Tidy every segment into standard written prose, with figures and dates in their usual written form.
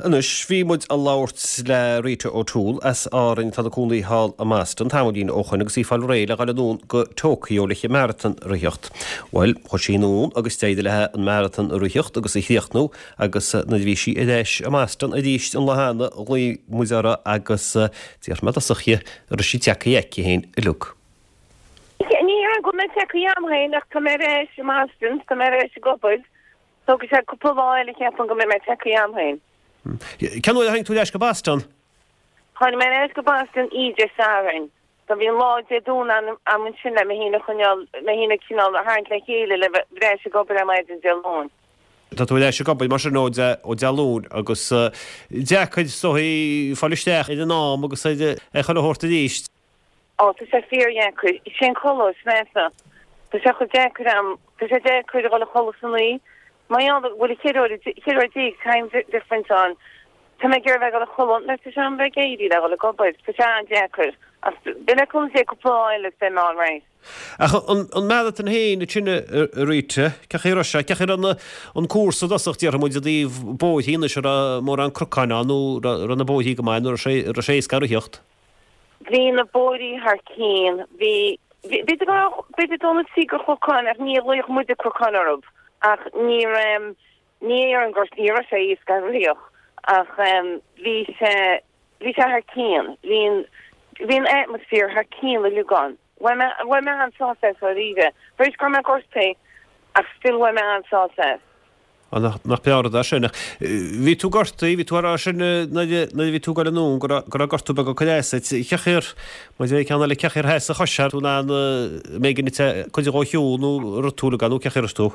Anois, bhí muid a labhairt le Rita O'Toole as Árainn atá ina cónaí thall i mBoston tamaillín ó shoin agus í ag fáil réidh le dhul anonn go Tokyo leis an marathon a ritheacht. Bhuel, chuaigh sí anonn agus d'éirigh léi an marathon a ritheacht agus a chríochnú agus nuair a bhí sí ar ais i mBoston arís an lá cheana, ghlaoigh muid uirthi agus d'fhiafraigh mé i dtosach dhi an raibh sí tagtha aici féin uilig. Ní hea go bhfuil mé tagtha agam féin ach tá mé ar ais i mBoston, tá mé ar ais ag obair. Tógfaidh sé cúpla lá eile cheapfainn go mbeidh mé tagtha agam féin. Cén uair a tháinig tú ar ais go Boston? Tháinig mé ar ais go Boston oíche Sathairn. So bhí an lá Dé Domhnaigh a'm ansin le mé féin a choinneáil, mé féin a cineál a tharraingt le chéile le bheith ar ais ag obair ar maidin Dé Luain. Tá tú ar ais ag obair mar sin ó Dé Luain agus deacair is dóigh fáil isteach ar an am agus ar chuile shórt arís. Ó, tá sé fíordheacair. Is é an codladh is measa. Tá sé chomh deacair a'm, tá sé deacair a dhul a chodladh san oíche. Mar gheall go bhfuil 14 uair, 14 uair time difference ann, tá mé ag iarraidh bheith ag dul a chodladh nuair tá sé am bheith ag éirí le dhul ag obair. Tá sé an-deacair. Ach beidh le cúnamh Dé cúpla lá eile is beidh mé all right. Ach an marathon féin ansin a Rita, cén chaoi a raibh sé, cén chaoi a raibh an cúrsa i dtosach, déarfaidh muid i dtaobh bóithrí anois, an raibh mórán cnocáin ann nó raibh na bóithrí go maith nó an raibh sé éasca a ritheacht? Bhí na bóithrí thar cinn. Bhí, b'fhéidir go raibh, b'fhéidir go raibh cíor chnocáin ach ní ghlaofadh muide cnocáin orthu. Ach ní raibh, ní déarfainn gur, ní raibh sé éasca a ritheacht ach bhí sé, bhí sé thar cinn. Bhí an, bhí an atmosphere thar cinn uilig ann. Bhain mé, bhain mé an-sásamh as dáiríre. Tar éis go raibh mé gortaithe ach still bhain mé an-sásamh as. Á, nach breá an rud é sin. Ach bhí tú gortaithe, bhí tú á rá sin nuair a bhí tú ag dul anonn go raibh gortú beag ag cur as duit. Cén chaoi ar, maidir le ceann eile, cén chaoi ar sheas an chois, raibh tú in ann an mb'éigean duit cuid dhó a shiúl nó rith tú uilig nó cén chaoi a raibh tú?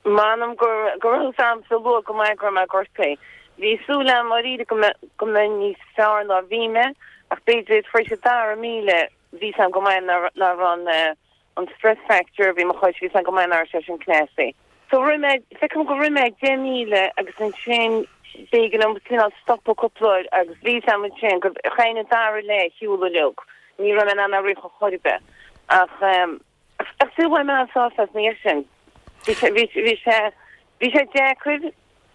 M'anam go raibh fhios a'msa luath go maith go raibh mé gortaithe. Bhí súil a'm dáiríre go mbeinn níos fearr ná bhí mé ach b'fhéidir tar éis an dara míle bhí fhios a'm go maith nach raibh an an stress fracture a bhí i mo chois, bhí fhios a'm go maith nach raibh sé sin cneasaithe. So rith mé, feicim gur rith mé 10,000 agus ansin b'éigean dom cineál stopadh cúpla uair agus bhí fhios a'm ansin go chaithfinn an dara leath a shiúl uilig. Ní raibh mé in ann a rith ar chor ar bith. Ach ehm, ach still bhain mé an-sásamh as ina dhiaidh sin. Bhí sé, bhí, bhí sé, bhí sé deacair,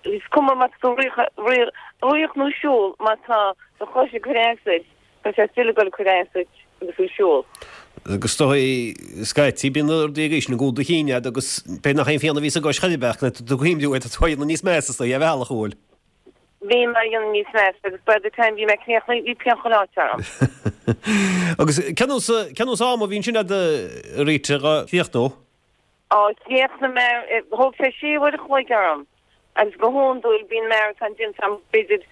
is cuma má tá tú rith, rith, rith nó siúl, má tá do chois ag cur as duit, Tá sé still ag dul ag cur as duit agus tú ag siúl. Agus is dóigh, scaití, bíonn na rudaí ag éistean i gcúl do chinn agat agus b'fhéidir nach aon phian a bhí sa gcois chor ar bith ach nuair atá tú ag cuimhniú air tá tú á dhéanamh níos measa is dóigh ar bhealach an bhfuil. Bhí mé á dhéanamh níos measa agus by the time bhí mé críochnaithe bhí pian chuile áit orm. Agus cén nós, cén nós ama a bhí ansin agat a Rita dhá chríochnú? Á, chríochnaigh mé, thóg sé sé uair a chloig orm agus go hiondúil bíonn maratón déanta agam b'fhéidir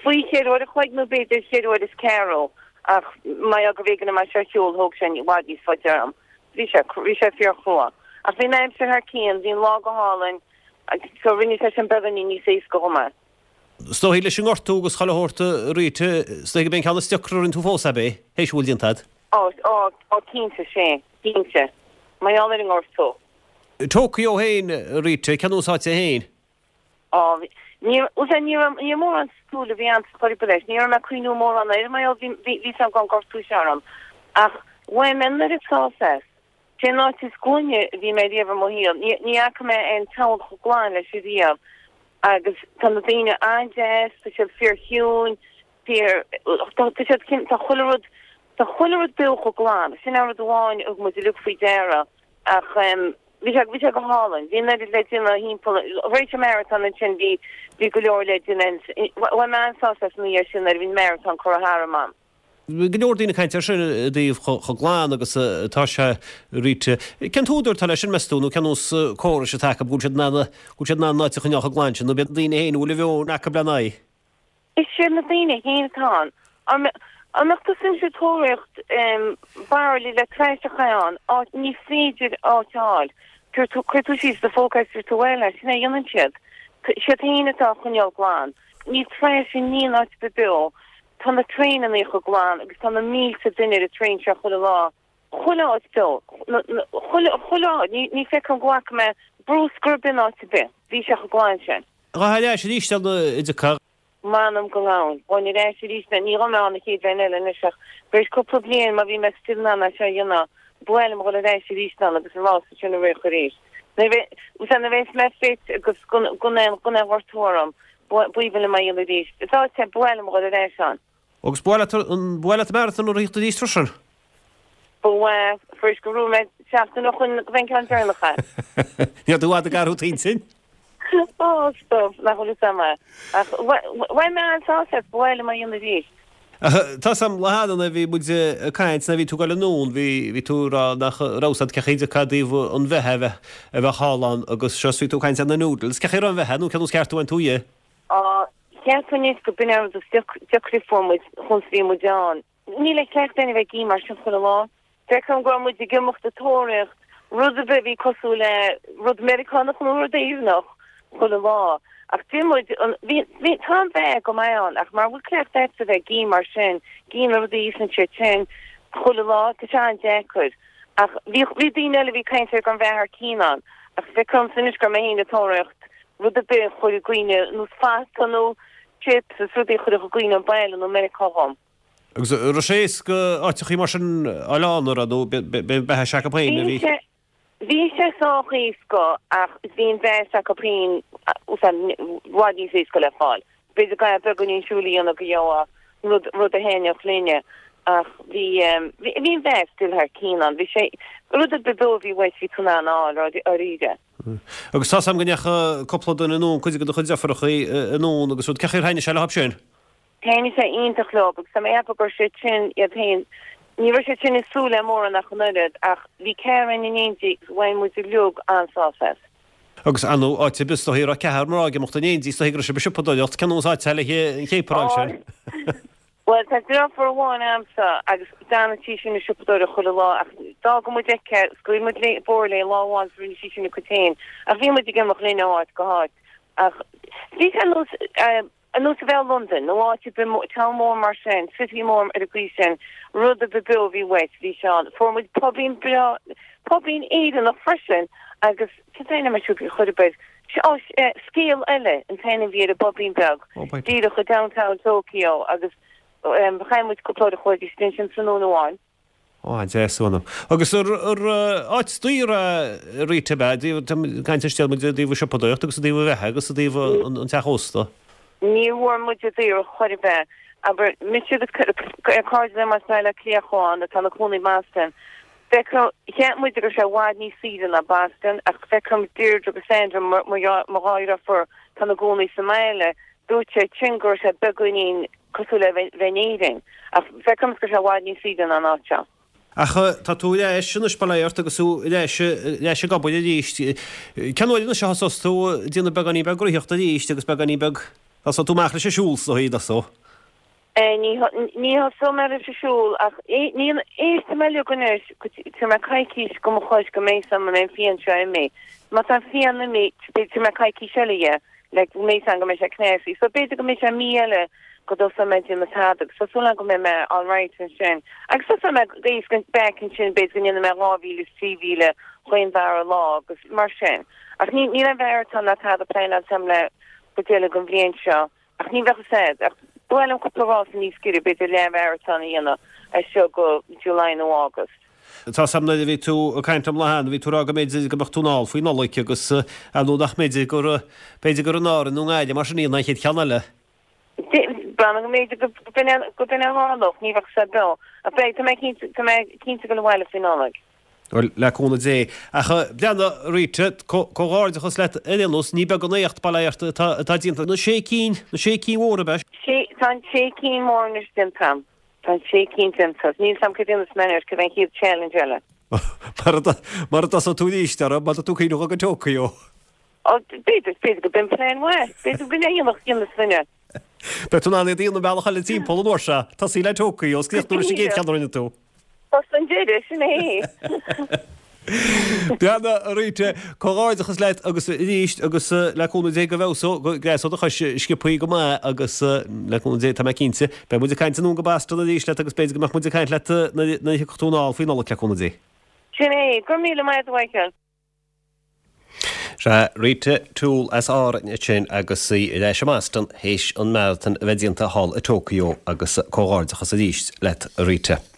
faoi cheithre uair a chloig nó b'fhéidir cheithre uair is ceathrú ach mar gheall gurbh éigean dom é seo a shiúl thóg sé i bhfad níos faide orm. Bhí sé, bhí sé fíorchrua. Ach bhí an aimsir thar cionn, bhí an lá go hálainn so rinne sé sin beagáinín níos éasca dhom é. Is dóigh leis an ngortú agus chuile shórt a Rita, is dóigh gurb é an ceann is deacra a rinne tú fós, ab é, théis a bhfuil déanta agat? Á, á, á cinnte, sé, cinnte. Mar gheall ar an ngortú. Tokyo féin, a Rita, cén nós áit é féin? Á, bhí, ní, bhuel, ní raibh, ní raibh mórán súil a bhí a'msa chor ar bith leis, ní raibh mé ag cuimhniú mórán air mar gheall, bhí, bhí, bhí 'fhios a'm go raibh an gortú seo orm. Ach bhain mé an oiread sásamh as. Sé an áit is glaine a bhí mé riamh i mo shaol. Ní, ní fhaca mé aon town chomh glan leis riamh. Agus tá na daoine an-deas, tá siad fíor-chiúin, fíor, tá, tá siad cin, tá chuile rud, tá chuile rud beo chomh glan. Sin an rud amháin a thug muid uilig faoi deara. Ach em, bhí sé, bhí sé go hálainn. Bhí an oiread le déanamh thimpeall, tar éis an marathon ansin bhí, bhí go leor le déanamh. Bhain mé an-sásamh as ina dhiaidh sin nuair a bhí an marathon curtha tharam a'm. Bhí go leor daoine ag caint air sin i dtaobh chomh glan agus atá sé, Rita. Cén t-údar atá leis sin, meas tú, nó cén nós córais atá acu go bhfuil siad in ann, go bhfuil siad in ann an áit a choinneáil chomh glan sin, nó b'iad na daoine féin a bhfuil a mheon acu lena aghaidh? Is iad na daoine féin atá ann. An mbeadh tusa anois ag tóraíocht bairillí le trash a chaitheamh ann, áit, ní féidir áit a fháil. Cuir tú, cuir tú síos do phóca agus tabhair tú abhaile é, sin é a dhéanann siad. Siad féin atá á choinneáil glan. Níl trash in aon áit ar bith beo. Tá na traenannaí chomh glan agus tá na mílte duine ar an traein seo chuile lá. Chuile áit beo. Chuile, chuile áit. Ní, ní feicim go bhfaca mé bruscar ar bith in áit ar bith. Bhí sé chomh glan sin. Ghabhfá ar ais arís ann an dtiocfá. M'anam go ngabhainn. Ghabhainn ar ais arís. Ní ghabhfaidh mé ann an chéad bhliain eile anois ach tar éis cúpla bliain má bhí mé still in ann é seo a dhéanamh, ba mhaith liom dhul ar ais arís ann agus an rása sin a rith arís. Nuair a bheas mé fit agus gan aon, gan aon ghortú orm. B'aoibhinn liom é a dhéanamh arís. Is áit é, ba mhaith liom a dhul ar ais ann. Agus ba mhaith leat an, ba mhaith leat an marathon a ritheacht arís freisin? Ba mhaith, fuair go raibh mé seachtain ó shoin go bheinn ceann deireanach é. Ní raibh tú i bhfad ag athrú t'intinn? Ó, stop, nach bhfuil fhios a'm é. Ach bhain mé an-sásamh as, ba mhaith liom é a dhéanamh arís. Tá 'fhios a'm lá cheana nuair a bhí muid ag caint, nuair a bhí tú ag dul anonn, bhí, bhí tú ag rá nach raibh 'fhios a'd cé chaoi cad i dtaobh an bheatha a bheith, a bheith thall ann agus seo is bhí tú ag caint ar na noodles. Cé chaoi a raibh an bheatha nó cén nós ceart a bhain tú dhe? Á, cheapfainn anois go b'in an rud is deacra a fuair muid chúns a bhí muid ann. Níl aon chleachtadh againn a bheith ag ithe mar sin chuile lá. Feicim go raibh muid ag imeacht ag tóraíocht rud ar bith a bhí cosúil le rud Meiriceánach nó rud Éireannach chuile lá. Ach d'ith muid an, bhí, bhí, tá an bheatha go maith ann ach mara bhfuil cleachtadh agat a bheith ag ithe mar sin, ag ithe na rudaí a íosann siad sin chuile lá, tá sé an-deacair. Ach bhí, bhí daoine eile a bhí ag caint ar go raibh an bheatha thar cionn ann. Ach feicim ormsa anois go raibh mé féin ag tóraíocht rud ar bith a chuir i gcuimhne, nós fata nó chips is rudaí a chuirfeadh i gcuimhne an baile nó Meiriceá dhom. Agus an raibh sé éasca áiteachaí mar sin a fháil ann, an raibh, nó b'é an beatha s'acu féin a bhí? Bhí sé, bhí sé sách éasca ach bhí an bheatha s'acu féin i bhfad níos éasca le fáil. B'fhéidir go gcaithfeá beagáinín siúil a dhéanamh go gheofá rud, rud a thaitneodh linne ach bhí, bhí, bhí an bheatha still thar cionn ann. Bhí sé, rud ar bith beo a bhí uait bhí tú in ann a fháil, dáiríre. Agus tá 's a'm go ndeachaigh cúpla duine anonn, cuid de do chuid deirfiúrachaí anonn agus rud, cé chaoi ar thaitnigh sé leo sin? Thaitnigh sé iontach leo agus tá mé ag ceapadh go raibh siad sin iad féin, ní raibh siad sin ag súil le mórán ach an oiread ach bhí ceathrar againn in éindí agus bhain muid uilig an-sásamh as. Agus ar ndóigh, áit ar bith is dóichí a raibh ceathrar mná ag imeacht in éindí, is dóichí go raibh sibh ag siopadóireacht, cén nós áit le an chéapar sin? Bhuel, tá deirfiúr amháin a'msa agus déanann sí sin an siopadóireacht chuile lá ach d'fhága muid aici, scaoil muid léi, bóthar léi lá amháin is rinne sí sin a cuid féin ach bhí muid ag imeacht linn ó áit go háit ach bhí sé ar nós, ar nós a bheith i Londain nó áit ar bith, town mór mar sin, city mór ar an gcaoi sin, rud ar bith beo a bhí uait, bhí sé ann. Fuair muid pubín breá, pubín Éireannach freisin agus cén t-ainm ar siúd chor ar bith. Ó, Scéal Eile an t-ainm a bhí ar an bpubín beag, díreach i downtown Tokyo agus chaith muid cúpla uair a chloig istigh ansin tráthnóna amháin. Ó, an-deas uaim. Agus ar áit daor a Rita ab ea, caint ar scéal muid i dtaobh an siopadóireacht agus i dtaobh an bheatha agus i dtaobh an teach ósta. Ní bhfuair muid daor chor ar bith. Abair, mise agus cairde liom as Baile Átha Cliath a chuaigh ann atá ina cónaí i mBoston. Feicim, cheap muid go raibh sé i bhfad níos saoire ná Boston ach feicim Deirdre agus Sandra, mo dhá dheirfiúr, atá ina gcónaí sa mbaile, dúirt siad sin go raibh sé beagáinín cosúil le bheith in Éirinn ach feicim go raibh sé i bhfad níos saoire ná an áit seo. Ach tá tú ar ais anois, bail ort, agus tú ar ais, ar ais ag obair arís. Cén uair anois a thosós tú ag déanamh beagáinín beag rithíochta arís agus beagáinín beag, tosóidh tú amach leis an siúl is dóigh, tosóidh. Ní thosóidh mé leis an siúl ach éistfidh mé liom anois go dtabharfaidh mé coicís go mo chois go mbeidh 'fhios a'm an mbeidh an phian seo imithe. Má tá an phian imithe tabharfaidh mé coicís eile dhe le go mbeidh 'fhios a'm go mbeidh sé cneasaithe. So b'fhéidir go mbeidh sé mí eile go dtosóidh mé ag déanamh tada agus tá súil agam go mbeidh mé alright ansin. Agus tosóidh mé éasca back ansin b'fhéidir go ndéanfaidh mé 2000 is 3000 chaon dara lá agus mar sin. Ach níl aon mharatón ná tada pleanáilte a'm le go deireadh an bhliain seo. Ach ní bheadh fhios a'd, ach ba mhaith liom cúpla rása níos giorra, b'fhéidir leathmharatón a dhéanamh as seo go July nó August. Tá 'fhios a'm nuair a bhí tú ag caint liom lá cheana, bhí tú ag rá go mb'fhéidir go mbeadh tú anall faoi Nollaig agus ar ndóigh nach mb'fhéidir gur, b'fhéidir gur in Árainn nó i nGaillimh mar sin a dhéanfá an chéad cheann eile. Breathnaigh go mb'fhéidir go b'in é, go b'in é a tharlódh, ní bheadh fhios beo. Ach beidh, tá mé cinnte, tá mé cinnte ag dul abhaile faoi Nollaig. Bhuel, le cúnamh Dé. Ach breathnaigh, Rita, comhghairdeachas leat ar aon nós, ní beag an éacht, bail ort, atá déanta. Na sé cinn, na sé cinn mhóra, ab ea? Sé, tá an sé cinn mór anois déanta a'm. Tá an sé cinn déanta. Níl 's a'm cad a dhéanfas mé anois, cad é an chéad challenge eile? Mara dtosóidh tú arís orthu, má tá tú ag cuimhneamh go Tokyo. Ó, b'fhéidir, b'fhéidir go b'in plean maith. B'fhéidir go ndéanfadh, dhéanfas duine. Beidh tú in ann iad a dhéanamh an bealach eile timpeall an uair seo. Tosaí le Tokyo, is críochnú leis an gcéad cheann a rinne tú. Bus an deireadh, sin é. Breathnaigh, a Rita, comhghairdeachas leat agus arís agus le cúnamh Dé go bhfeabhsóidh, go ngreasóidh do chois sciobthaí go maith agus le cúnamh Dé tá mé cinnte, beidh muid ag caint anonn go Boston arís leat agus b'fhéidir go mbeadh muid ag caint leat nuair a thiocfadh tú anall faoi Nollaig le cúnamh Dé. Sin é. Go raibh míle maith agat a Mhichael. Sea, Rita Toole as Árainn ansin agus í ar ais i mBoston théis an marathon a bheith déanta thall i Tokyo agus comhghairdeachas arís leat a Rita.